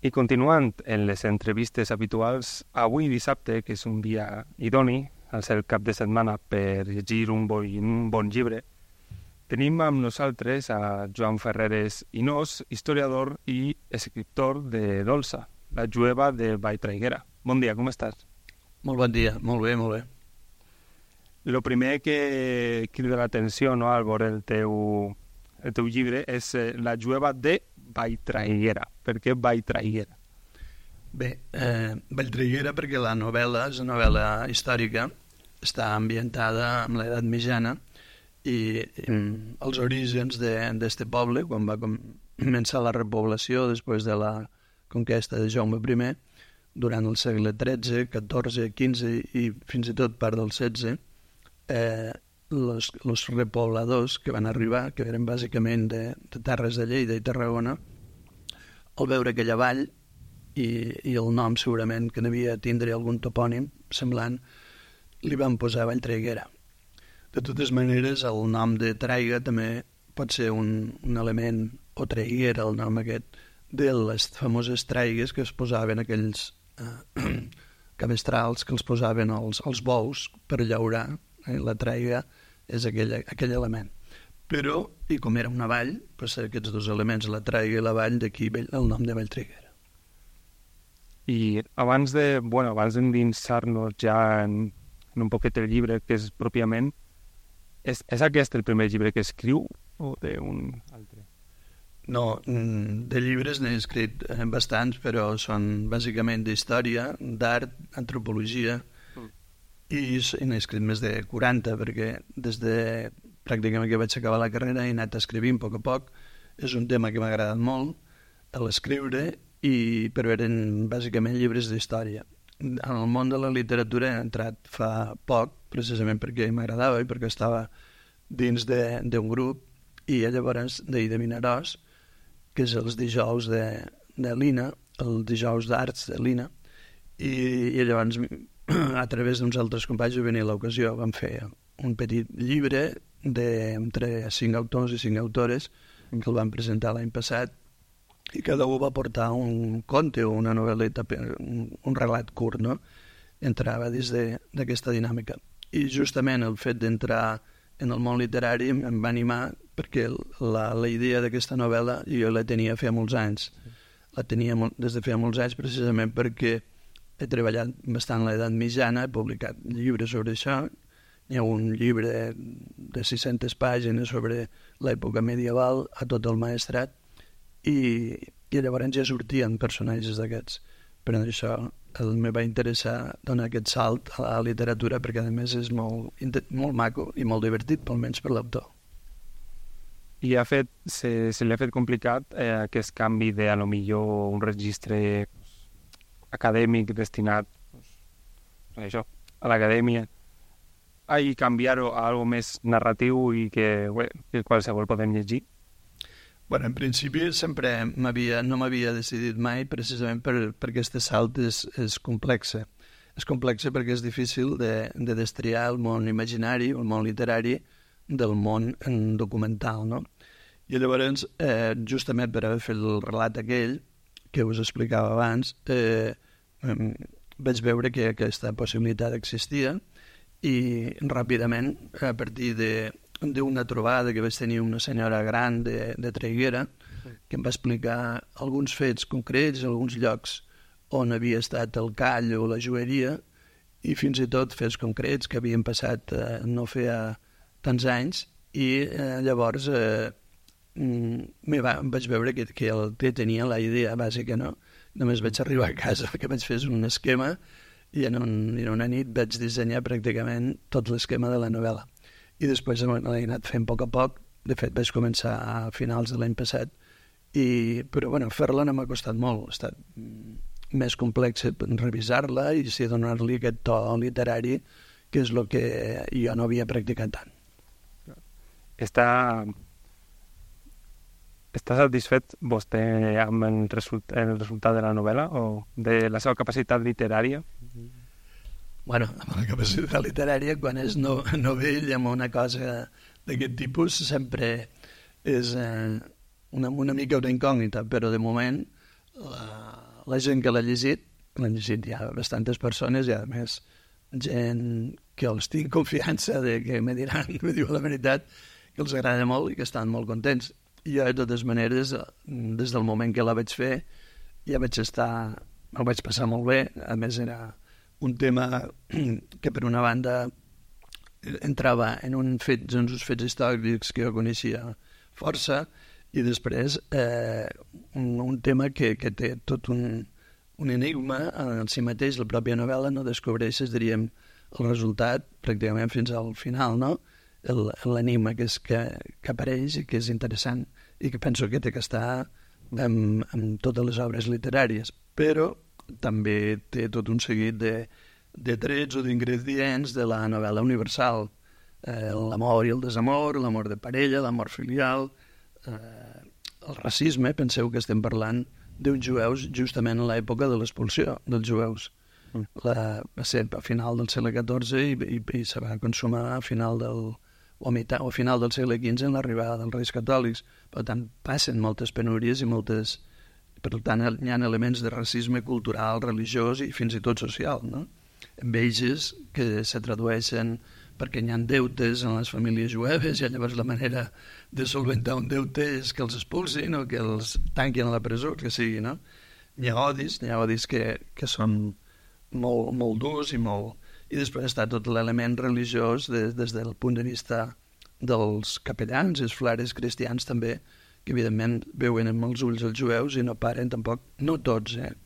I continuant en les entrevistes habituals, avui dissabte, que és un dia idoni, al ser el cap de setmana per llegir un bon llibre, tenim amb nosaltres a Joan Ferreres Inós, historiador i escriptor de Dolça, la jueva de Valltraiguera. Bon dia, com estàs? Molt bon dia, molt bé, molt bé. Lo primer que crida l'atenció, no, al veure el teu llibre és la jueva de Valltraiguera. Per què Valltraiguera? Bé, Valltraiguera perquè la novel·la és una novel·la històrica, està ambientada en l'edat mitjana i els orígens d'este poble, quan va començar la repoblació després de la conquesta de Jaume I, durant el segle XIII, XIV, XV i fins i tot part del XVI, els repobladors que van arribar, que eren bàsicament de terres de Lleida i Tarragona, al veure aquella vall i el nom segurament que devia tindre algun topònim semblant, li van posar Valltraiguera. De totes maneres, el nom de Traiga també pot ser un element, o traiguera, el nom aquest, de les famoses traigues que es posaven aquells cabestrals que els posaven als bous per llaurar. La traiga és aquell element. Però, i com era una vall, pues aquests dos elements, la traiga i la vall, d'aquí el nom de Valltraiguera. I abans d'endinsar-nos ja en un poquet el llibre, que és pròpiament, és aquest el primer llibre que escriu o d'un altre? No, de llibres n'he escrit bastants, però són bàsicament d'història, d'art, antropologia, i n'he escrit més de 40, perquè des de pràcticament que vaig acabar la carrera he anat escrivint a poc. És un tema que m'ha agradat molt, l'escriure, però eren bàsicament llibres d'història. En el món de la literatura he entrat fa poc, precisament perquè m'agradava i perquè estava dins d'un grup, i llavors d'Ida Vinaròs, que és els dijous de l'INA, el dijous d'arts de l'INA, i llavors a través d'uns altres companys va venir l'ocasió, vam fer un petit llibre entre 5 autors i 5 autores que el van presentar l'any passat, i cada un va portar un conte o una novel·leta, un relat curt, no? Entrava dins d'aquesta dinàmica. I justament el fet d'entrar en el món literari em va animar perquè la idea d'aquesta novel·la jo la tenia feia molts anys. La tenia des de feia molts anys precisament perquè he treballat bastant a l'edat mitjana, he publicat llibres sobre això. Hi ha un llibre de 600 pàgines sobre l'època medieval a tot el Maestrat, i llavors ja sortien personatges d'aquests. Per això me va interessar donar aquest salt a la literatura, perquè a més és molt maco i molt divertit, almenys per l'autor. I se li ha fet complicat aquest canvi de, a lo millor, un registre acadèmic destinat a l'acadèmia, i canviar-ho a algo més narratiu i que qualsevol podem llegir? En principi sempre no m'havia decidit mai, precisament perquè aquest salt és complex. És complex perquè és difícil de destriar el món imaginari, el món literari, del món documental, no? I llavors, justament per haver fet el relat aquell, que us explicava abans, vaig veure que aquesta possibilitat existia, i ràpidament, a partir d'una trobada que vaig tenir una senyora gran de Traiguera, que em va explicar alguns fets concrets, alguns llocs on havia estat el call o la joieria, i fins i tot fets concrets que havien passat no feia tants anys, i llavors vaig veure que el tenia la idea bàsica, no? Només vaig arribar a casa, que vaig fer un esquema, i en una nit vaig dissenyar pràcticament tot l'esquema de la novel·la. I després l'he anat fent a poc. De fet, vaig començar a finals de l'any passat, però fer-la no m'ha costat molt. Ha estat més complex revisar-la i donar-li aquest to literari, que és el que jo no havia practicat tant. Està satisfet vostè amb el resultat de la novel·la o de la seva capacitat literària? Amb la capacitat literària, quan és novell amb una cosa d'aquest tipus, sempre és una mica una incògnita, però de moment la gent que l'ha llegit hi ha bastantes persones i a més gent que els tinc confiança de que me diu la veritat, que els agrada molt i que estan molt contents. I jo, de totes maneres, des del moment que la vaig fer, ja me'l vaig passar molt bé. A més, era un tema que, per una banda, entrava en uns fets històrics que jo coneixia força, i després un tema que té tot un enigma en si mateix. La pròpia novel·la no descobreixes, diríem, el resultat pràcticament fins al final, no? L'enigma que apareix i que és interessant i que penso que té que estar en totes les obres literàries, però també té tot un seguit de trets o d'ingredients de la novel·la universal, l'amor i el desamor, l'amor de parella, l'amor filial, el racisme. Penseu que estem parlant d'uns jueus justament en l'època de l'expulsió dels jueus. Va ser a final del segle XIV i se va consumar a final del segle XV en l'arribada dels Reis Catòlics. Per tant, passen moltes penúries i per tant, hi ha elements de racisme cultural, religiós i fins i tot social, no? Amb ells que se tradueixen perquè hi ha deutes en les famílies jueves i llavors la manera de solventar un deute és que els expulsin o que els tanquin a la presó, que sigui, no? Hi ha odis que són molt durs i després està tot l'element religiós des del punt de vista dels capellans i els frares cristians també, que evidentment veuen amb els ulls els jueus i no paren tampoc, no tots, en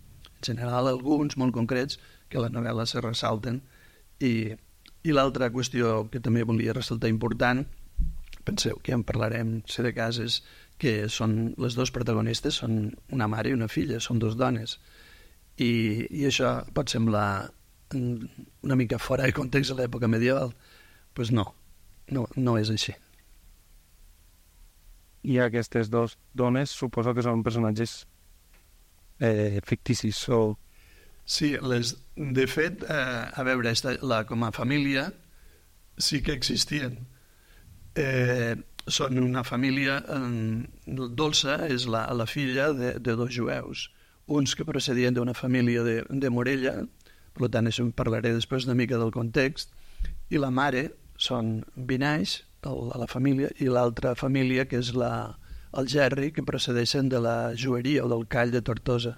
general alguns molt concrets que a la novel·la se ressalten. I l'altra qüestió que també volia ressaltar important, penseu que ja en parlarem si de cas, és que són les dos protagonistes, són una mare i una filla, són dos dones, i això pot semblar una mica fora de context de l'època medieval. Doncs no és així. I aquestes dues dones suposo que són personatges ficticis o... Sí, de fet, a veure, com a família sí que existien. Són una família... Dolça és la filla de dos jueus, uns que procedien d'una família de Morella, per tant, això en parlaré després una mica del context, i la mare són Vinaixa, la família, i l'altra família, que és el Gerri, que procedeixen de la Joeria o del Call de Tortosa.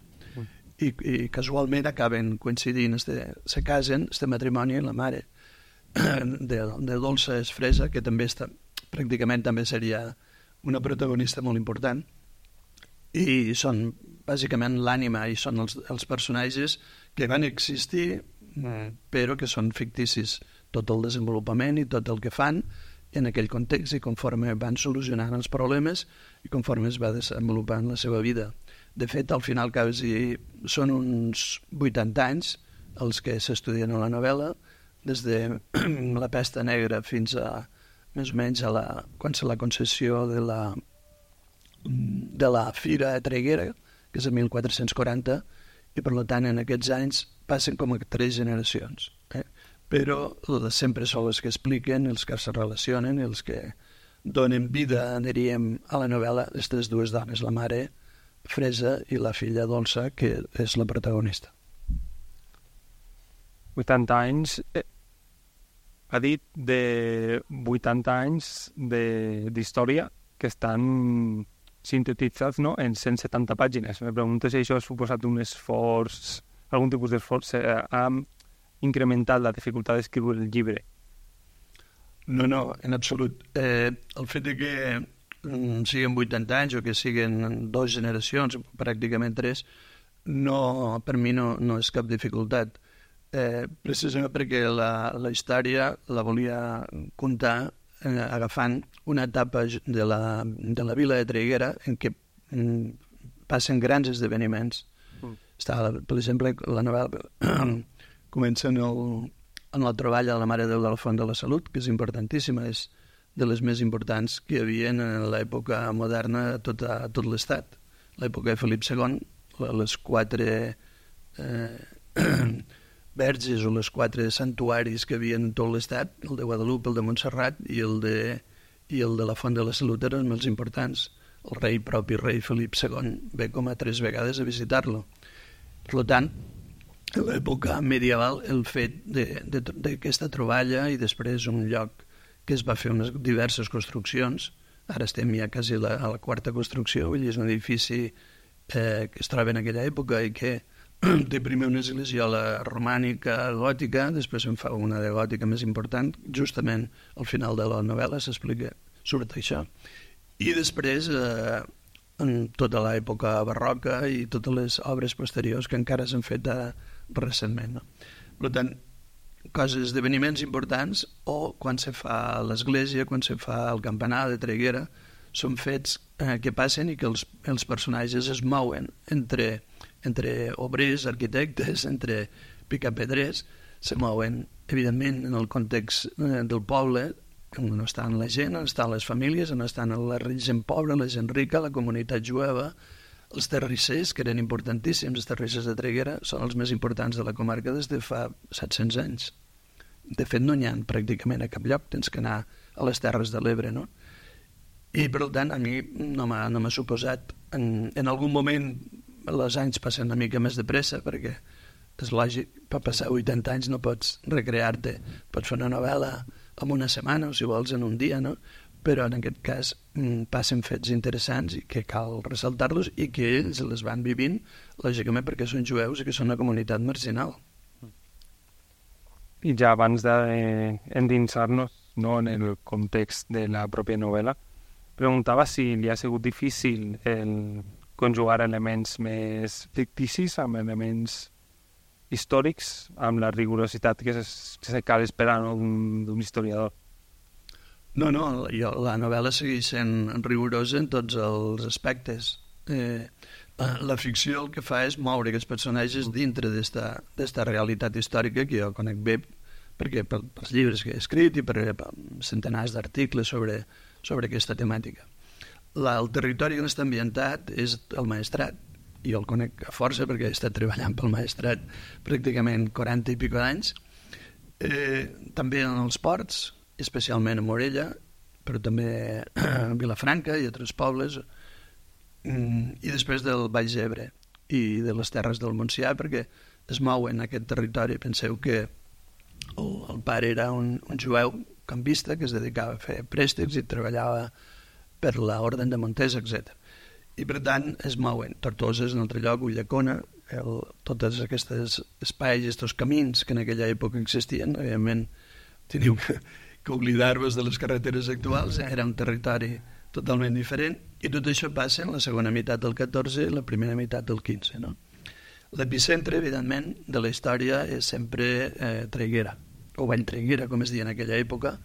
I casualment acaben coincidint, se casen, este matrimoni, la mare de Dolça és Fresa, que també pràcticament també seria una protagonista molt important, i són bàsicament l'ànima i són els personatges que van existir però que són ficticis, tot el desenvolupament i tot el que fan en aquell context i conforme van solucionant els problemes i conforme es va desenvolupant la seva vida. De fet, al final quasi són uns 80 anys els que s'estudien a la novel·la, des de la pesta negra fins a més o menys quan se la concessió de la Fira Traiguera, que és el 1440, i per tant en aquests anys passen com a 3 generacions. Però sempre són els que expliquen, els que se relacionen, els que donen vida, diríem, a la novel·la, aquestes dues dones, la mare Fresa i la filla Dolça, que és la protagonista. 80 anys... Ha dit de 80 anys d'història que estan sintetitzats, no?, en 170 pàgines. Me pregunto si això ha suposat un esforç, algun tipus d'esforç, ha incrementat la dificultat d'escriure el llibre. No, en absolut. El fet de que siguin 80 anys o que siguin 2 generacions, pràcticament 3, per mi no és cap dificultat. Precisament perquè la història la volia contar agafant una etapa de la vila de Traiguera en què passen grans esdeveniments. Per exemple, la novel·la comença en la troballa de la Mare de Déu de la Font de la Salut, que és importantíssima, és de les més importants que hi havia en l'època moderna a tot l'Estat. L'època de Felip II, les 4 verges o les 4 santuaris que hi havia en tot l'Estat, el de Guadalupe, el de Montserrat i el de la Font de la Salut eren els importants. El propi rei Felip II ve com a 3 vegades a visitar-lo. Per tant, en l'època medieval, el fet d'aquesta troballa i després un lloc que es va fer unes diverses construccions, ara estem ja quasi a la quarta construcció, vull dir, és un edifici que es troba en aquella època i que té primer una esglesiola romànica gòtica, després en fa una de gòtica més important, justament al final de la novel·la s'explica sobre això. I després, en tota l'època barroca i totes les obres posteriors que encara s'han fet recentment. No? Per tant, esdeveniments importants o quan se fa l'església, quan se fa el campanar de Traiguera, són fets que passen i que els personatges es mouen entre obrers, arquitectes, entre picapedrers, se mouen, evidentment, en el context del poble, on estan la gent, on estan les famílies, on estan la gent pobra, la gent rica, la comunitat jueva, els terrissers, que eren importantíssims, els terrissers de Traiguera, són els més importants de la comarca des de fa 700 anys. De fet, no n'hi ha pràcticament a cap lloc, tens que anar a les Terres de l'Ebre, no? I, per tant, a mi no m'ha suposat... En algun moment els anys passen una mica més de pressa, perquè és lògic, per passar 80 anys no pots recrear-te, pots fer una novel·la en una setmana o, si vols, en un dia, no? Però en aquest cas passen fets interessants i que cal ressaltar-los i que ells les van vivint, lògicament perquè són jueus i que són una comunitat marginal. I ja abans d'endinsar-nos, no, en el context de la pròpia novel·la, preguntava si li ha sigut difícil conjugar elements més ficticis amb elements històrics, amb la rigorositat que se cal esperar, no, d'un historiador. No, la novel·la segueix sent rigorosa en tots els aspectes. La ficció el que fa és moure aquests personatges dintre d'esta realitat històrica que jo conec bé perquè pels llibres que he escrit i per centenars d'articles sobre aquesta temàtica. El territori on està ambientat és el Maestrat. Jo el conec a força perquè he estat treballant pel Maestrat pràcticament 40 i pico d'anys. També en els ports, especialment a Morella, però també a Vilafranca i altres pobles, i després del Baix Ebre i de les terres del Montsià, perquè es mouen en aquest territori. Penseu que el pare era un jueu campista que es dedicava a fer préstecs i treballava per l'Orden de Montesa, etc. I per tant es mouen. Tortosa és un altre lloc, Ulldecona, tots aquests espais, aquests camins que en aquella època existien, evidentment teniu que oblidar-vos de les carreteres actuals, era un territori totalment diferent, i tot això passa en la segona meitat del 14 i la primera meitat del 15. No? L'epicentre, evidentment, de la història és sempre Traiguera, o Valltraiguera, com es deia en aquella època,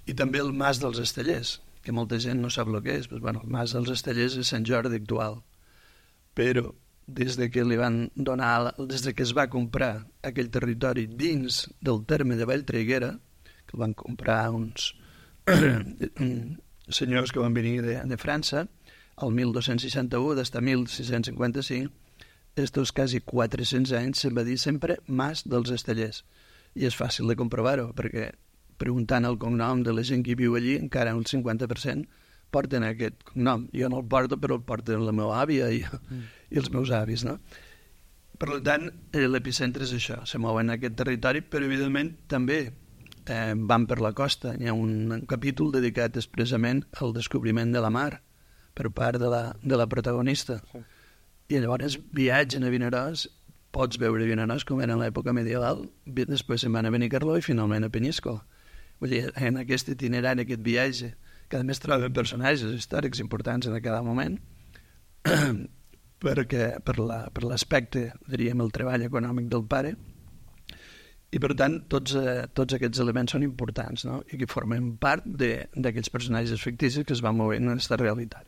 i també el Mas dels Estellers, que molta gent no sap el que és. Pues, bueno, el Mas dels Estellers és Sant Jordi actual, però des de que des que es va comprar aquell territori dins del terme de Valltraiguera, que el van comprar uns senyors que van venir de França, el 1261, des de 1655, estos quasi 400 anys se'n va dir sempre Mas dels Estellers. I és fàcil de comprovar-ho, perquè preguntant el cognom de la gent que viu allí, encara un 50% porten aquest cognom. Jo no el porto, però el porten la meva àvia i els meus avis, no? Per tant, l'epicentre és això, se mouen en aquest territori, però evidentment també van per la costa. Hi ha un capítol dedicat expressament al descobriment de la mar per part de la protagonista. Sí. I llavors viatgen a Vinaròs, pots veure Vinaròs com era en l'època medieval, després se'n van a Benicarló i finalment a Penyíscola. Vull dir, en aquest itinerari, aquest viatge, que a més troben personatges històrics importants en cada moment, perquè per l'aspecte, diríem, el treball econòmic del pare, i per tant tots aquests elements són importants, no? I que formen part d'aquests personatges ficticis que es van movent en aquesta realitat.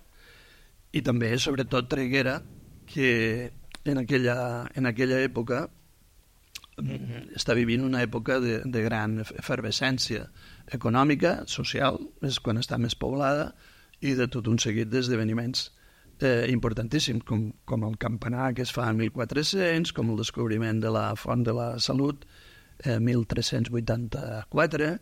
I també, sobretot, Traiguera, que en aquella època està vivint una època de gran efervescència econòmica, social, és quan està més poblada, i de tot un seguit d'esdeveniments importantíssims, com el campanar que es fa en 1400, com el descobriment de la Font de la Salut, 1384,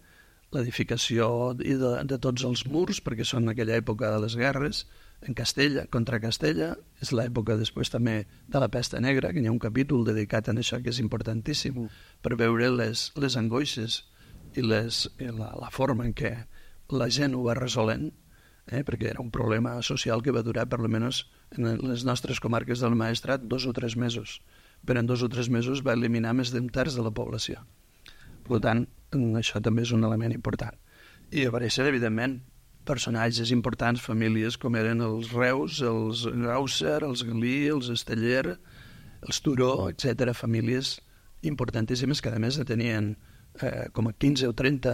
l'edificació de tots els murs, perquè són en aquella època de les guerres, en Castella, contra Castella, és l'època després també de la pesta negra, que hi ha un capítol dedicat a això que és importantíssim, per veure les angoixes i la forma en què la gent ho va resolent, perquè era un problema social que va durar, per almenys en les nostres comarques del Maestrat, 2 o 3 mesos. Però en 2 o 3 mesos va eliminar més d'un terç de la població. Per tant, això també és un element important. I apareixen, evidentment, personatges importants, famílies com eren els Reus, els Gausser, els Galí, els Esteller, els Turó, etc. Famílies importantíssimes que a més tenien com a 15 o 30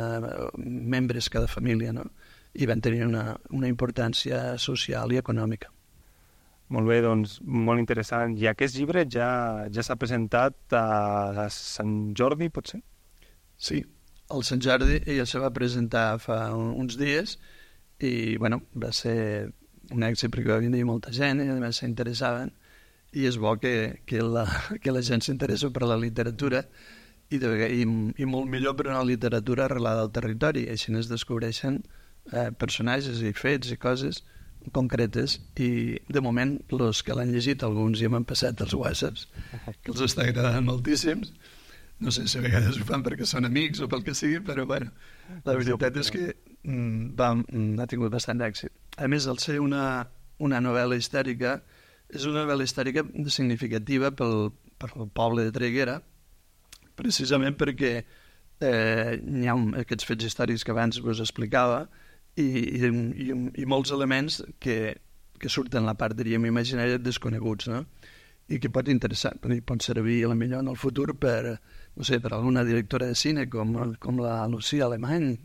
membres cada família, no? I van tenir una importància social i econòmica. Molt bé, doncs, molt interessant. I aquest llibre ja s'ha presentat a Sant Jordi, potser? Sí, el Sant Jordi ja se va presentar fa uns dies i, bueno, va ser un èxit perquè va venir molta gent i, a més, s'interessaven i és bo que la gent s'interessa per la literatura i molt millor per una literatura arrelada al territori. Així es descobreixen personatges i fets i coses concretes i, de moment, els que l'han llegit, alguns ja m'han passat els whatsapps, que els està agradant moltíssims. No sé si a vegades ho fan perquè són amics o pel que sigui, però, bueno, la veritat és que ha tingut bastant d'èxit. A més, al ser una novel·la històrica, és una novel·la històrica significativa pel poble de Traiguera, precisament perquè hi ha aquests fets històrics que abans vos explicava i molts elements que surten la part, diríem, imaginària desconeguts, no? I que pot interessar, pot servir a la millor en el futur per, no sé, per alguna directora de cine com la Lucía Alemany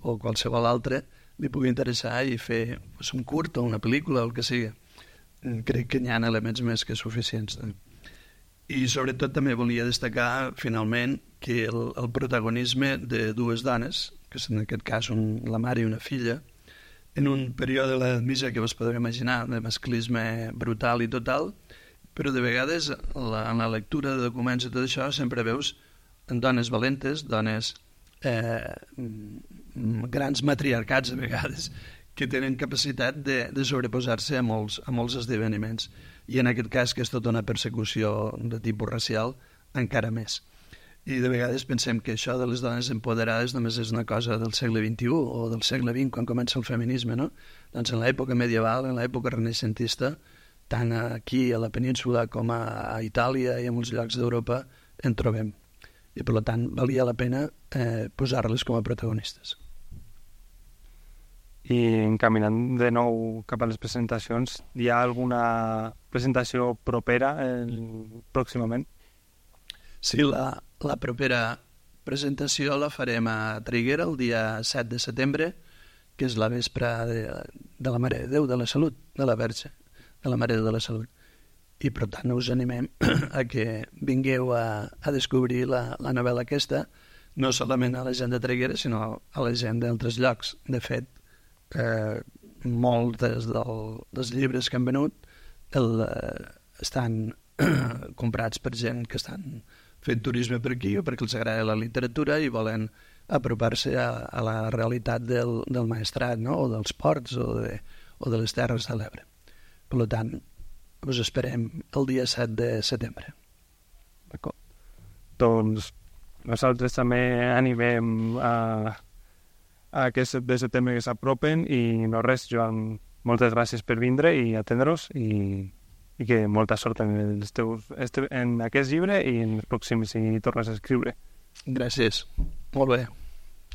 o qualsevol altra li pugui interessar i fer un curt o una pel·lícula o el que sigui. Crec que hi ha elements més que suficients. I sobretot també volia destacar finalment que el protagonisme de 2 dones, que és en aquest cas la mare i una filla, en un període de l'edat mitja que vos podeu imaginar, de masclisme brutal i total, però de vegades en la lectura de documents i tot això sempre veus dones valentes, dones grans matriarcats a vegades, que tenen capacitat de sobreposar-se a molts esdeveniments. I en aquest cas, que és tota una persecució de tipus racial, encara més. I de vegades pensem que això de les dones empoderades només és una cosa del segle XXI o del segle XX, quan comença el feminisme, no? Doncs en l'època medieval, en l'època renaixentista, tant aquí a la península com a Itàlia i a molts llocs d'Europa en trobem. I per tant valia la pena posar-les com a protagonistes. I encaminant de nou cap a les presentacions, hi ha alguna presentació propera pròximament? Sí, la propera presentació la farem a Traiguera el dia 7 de setembre, que és la vespre de la Mare de Déu de la Salut, de la Verge, de la Mare de la Salut. I per tant us animem a que vingueu a descobrir la novel·la aquesta, no solament a la gent de Traiguera, sinó a la gent d'altres llocs. De fet, molts dels llibres que han venut estan comprats per gent que estan fent turisme per aquí o perquè els agrada la literatura i volen apropar-se a la realitat del Maestrat, no? O dels ports o de les Terres de l'Ebre. Per tant, us esperem el dia 7 de setembre. D'acord. Doncs nosaltres també animem a aquest 7 de setembre que s'apropen i no res, Joan, moltes gràcies per vindre i atendre-nos i que molta sort en aquest llibre i en els pròxims si tornes a escriure. Gràcies. Molt bé.